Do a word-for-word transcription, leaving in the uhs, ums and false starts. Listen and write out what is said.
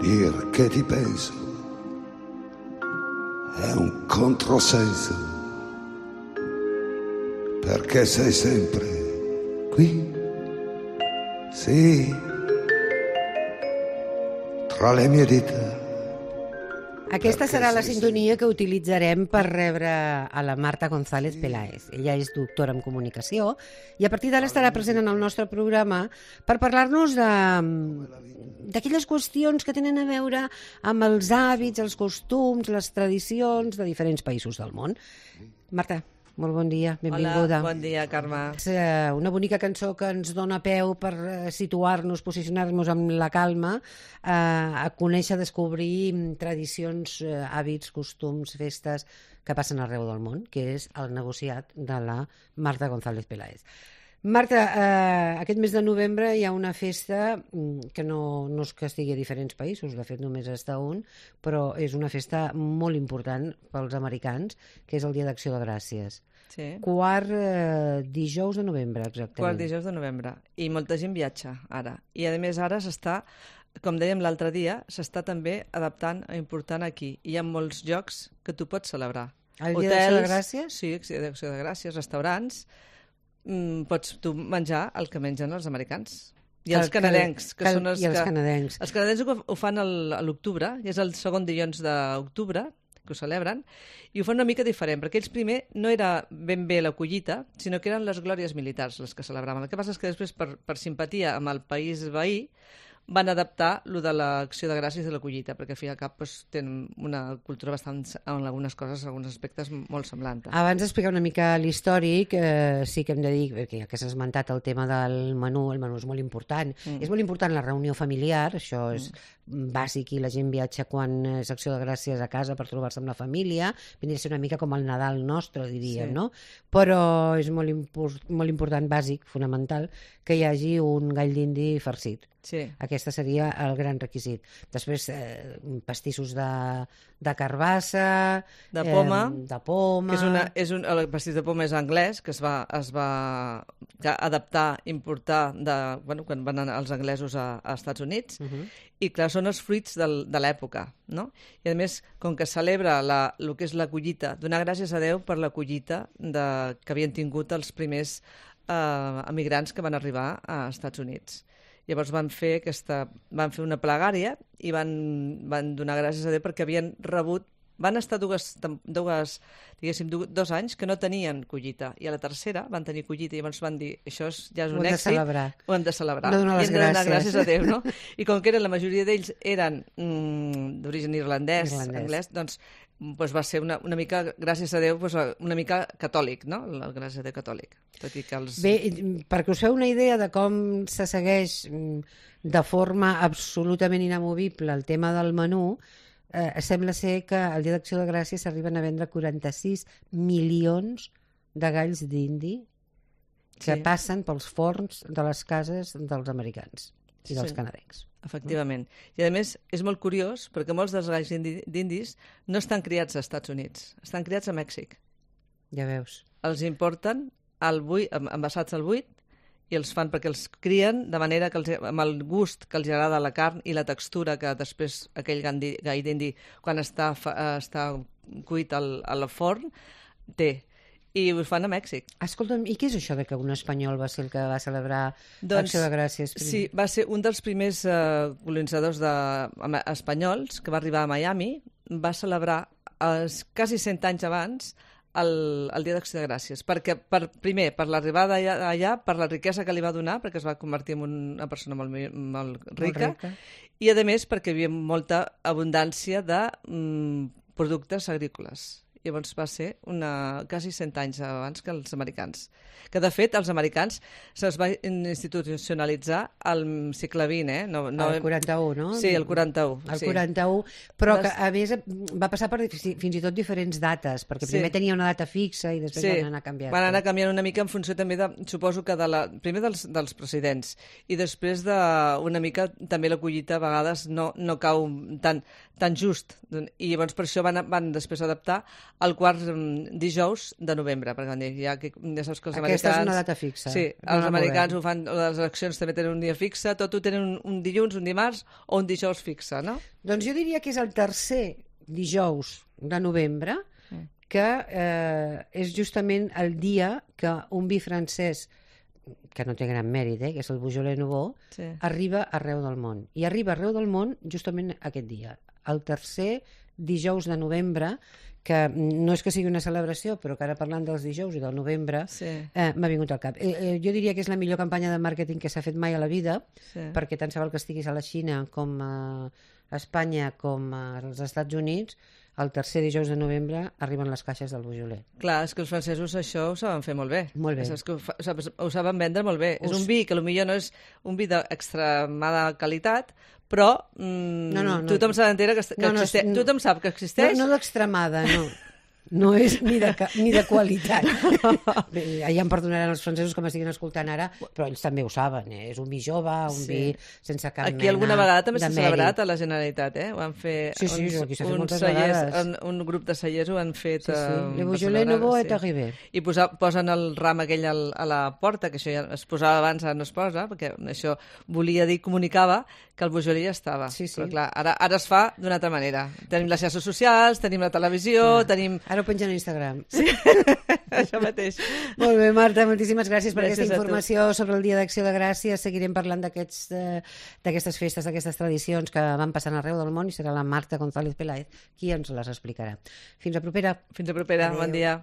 Perché ti penso, è un controsenso, perché sei sempre qui, sì, tra le mie dita. Aquesta serà la sintonia que utilitzarem per rebre a la Marta González Peláez. Ella és doctora en comunicació i a partir d'ara estarà present en el nostre programa per parlar-nos de d'aquelles qüestions que tenen a veure amb els hàbits, els costums, les tradicions de diferents països del món. Marta, molt bon dia, benvinguda. Hola, bon dia, Carme. És una bonica cançó que ens dona peu per situar-nos, posicionar-nos amb la calma, a conèixer, descobrir tradicions, hàbits, costums, festes que passen arreu del món, que és el negociat de la Marta González Peláez. Marta, eh, aquest mes de novembre hi ha una festa que no, no és que estigui a diferents països, de fet només està un, però és una festa molt important pels americans, que és el Dia d'Acció de Gràcies. Sí. Quart eh, dijous de novembre, exactament. Quart dijous de novembre. I molta gent viatja ara. I a més ara s'està, com dèiem l'altre dia, s'està també adaptant a important aquí. Hi ha molts llocs que tu pots celebrar. El Dia d'Acció de Gràcies? Sí, d'Acció de Gràcies, restaurants. Mm, pots tu menjar el que mengen els americans i els el canadencs que, que són els, i els que, canadencs els canadencs ho, ho fan el, a l'octubre, i és el segon dilluns d'octubre que ho celebren, i ho fan una mica diferent, perquè ells primer no era ben bé la collita, sinó que eren les glòries militars les que celebraven. El que passa és que després, per, per simpatia amb el país veí, van adaptar lo de l'acció de gràcies i de la collita, perquè al fi i al cap doncs, tenen una cultura bastant, en algunes coses, en alguns aspectes, molt semblant. Abans d'explicar una mica l'històric, eh, sí que hem de dir, perquè ja que s'ha esmentat el tema del menú, el menú és molt important. Mm. És molt important la reunió familiar, això és mm. bàsic, i la gent viatja quan és acció de gràcies a casa per trobar-se amb la família, vindria a ser una mica com el Nadal nostre, diríem, sí. no? Però és molt, import, molt important, bàsic, fonamental, que hi hagi un gall d'indi farcit. Sí. Aquesta seria el gran requisit. Després, eh, pastissos de, de carbassa, de poma, eh, de poma... Que és una, és un, el pastís de poma és anglès, que es va, es va adaptar, importar, de, bueno, quan van anar els anglesos a, a Estats Units, uh -huh. i clar, són els fruits del, de l'època, no? I a més, com que celebra la, el que és la collita, donar gràcies a Déu per la collita de, que havien tingut els primers eh, emigrants que van arribar a Estats Units. Llavors van fer, aquesta, van fer una plegària i van, van donar gràcies a Déu perquè havien rebut, van estar dues, dues, diguéssim, dos anys que no tenien collita, i a la tercera van tenir collita, i llavors van dir, això és, ja és un èxit, ho hem de celebrar, no donar les i hem de donar gràcies. gràcies a Déu, no? I com que eren, la majoria d'ells eren mm, d'origen irlandès, irlandès, anglès, doncs pues va ser una, una mica, gràcies a Déu, pues una mica catòlic, no? El gràcies a Déu catòlic. Tot i que els... Bé, perquè us feu una idea de com se segueix de forma absolutament inamovible el tema del menú, eh, sembla ser que el Dia d'Acció de Gràcies s'arriben a vendre quaranta-sis milions de galls d'indi que sí. passen pels forns de les cases dels americans i dels sí. canadencs. Efectivament. I a més és molt curiós perquè molts dels galls d'indis no estan criats als Estats Units, estan criats a Mèxic. Ja veus. Els importen al buit, envasats al buit, i els fan perquè els crien de manera que els, amb el gust que els agrada la carn i la textura que després aquell gall d'indi quan està, està cuit al, al forn té. I ho fan a Mèxic. Escolta'm, i què és això de que un espanyol va ser el que va celebrar doncs, l'Acció de Gràcies? Primer? Sí, va ser un dels primers uh, colonitzadors de, uh, espanyols que va arribar a Miami, va celebrar uh, quasi cent anys abans el, el Dia d'Acció de Gràcies, perquè per, primer per l'arribada allà, allà, per la riquesa que li va donar, perquè es va convertir en una persona molt, molt, rica, molt rica, i a més perquè hi havia molta abundància de mm, productes agrícoles. Llavors va ser una, quasi cent anys abans que els americans. Que, de fet, els americans se'ls va institucionalitzar al segle vint, eh? No, no... El quaranta-u, no? Sí, el quaranta-u. El sí. quaranta-u, però que, a més, va passar per fins i tot diferents dates, perquè primer sí. tenia una data fixa i després sí. van anar canviant. Van anar canviant una mica en funció també, de, suposo que de la, primer dels, dels presidents, i després de una mica també la collita a vegades no, no cau tan, tan just. I llavors per això van, van després adaptar el quart mm, dijous de novembre, perquè van dir, ja, que, ja saps que els Aquesta americans... és una data fixa. Sí, No els la americans movem. ho fan, les eleccions també tenen un dia fixe, tot ho tenen un, un dilluns, un dimarts o un dijous fixe, no? Doncs jo diria que és el tercer dijous de novembre, que eh, és justament el dia que un vi francès, que no té gran mèrit, eh, que és el Beaujolais Nouveau, Sí. arriba arreu del món. I arriba arreu del món justament aquest dia, el tercer dijous de novembre, que no és que sigui una celebració, però que ara parlant dels dijous i del novembre, Sí. eh, m'ha vingut al cap. Eh, eh, jo diria que és la millor campanya de màrqueting que s'ha fet mai a la vida, Sí. perquè tant se val que estiguis a la Xina com a Espanya com als Estats Units, el tercer dijous de novembre arriben les caixes del Beaujolais. Clar, és que els francesos això ho saben fer molt bé. Molt bé. És que ho, fa, ho saben- ho saben vendre molt bé. Us- És un vi que potser no és un vi d'extremada qualitat, però mm, No, no, no. tothom se n'entera que, que No, no, existeix. no. Tothom sap que No, existeix. no d'extremada, no. No és ni de, ca- ni de qualitat. Bé, ja em perdonaran els francesos que m'estiguin escoltant ara, però ells també ho saben, eh? És un vi jove, un Sí. vi sense cap Aquí mena alguna vegada també de s'ha mèrit. celebrat a la Generalitat, eh? Ho han fet Sí, sí, uns, aquí s'ha fet uns moltes cellers, vegades. un, un grup de cellers ho han fet. Sí, sí. eh, Le per Beaujolais celebrar, Nouveau sí. est arrivé. I posa, posen el ram aquell al, a la porta, que això ja es posava abans, ara no es posa, perquè això volia dir, comunicava que el Beaujolais ja estava. Sí, sí. Però clar, ara, ara es fa d'una altra manera. Tenim les xarxes socials, tenim la televisió, Ah. tenim... Ara ho pengen a Instagram. Sí. això mateix. Molt bé, Marta, moltíssimes gràcies per Gràcies aquesta a tu. informació sobre el Dia d'Acció de Gràcies. Seguirem parlant d'aquests, eh, d'aquestes festes, d'aquestes tradicions que van passant arreu del món i serà la Marta González Peláez qui ens les explicarà. Fins a propera. Fins a propera, Adéu. bon dia.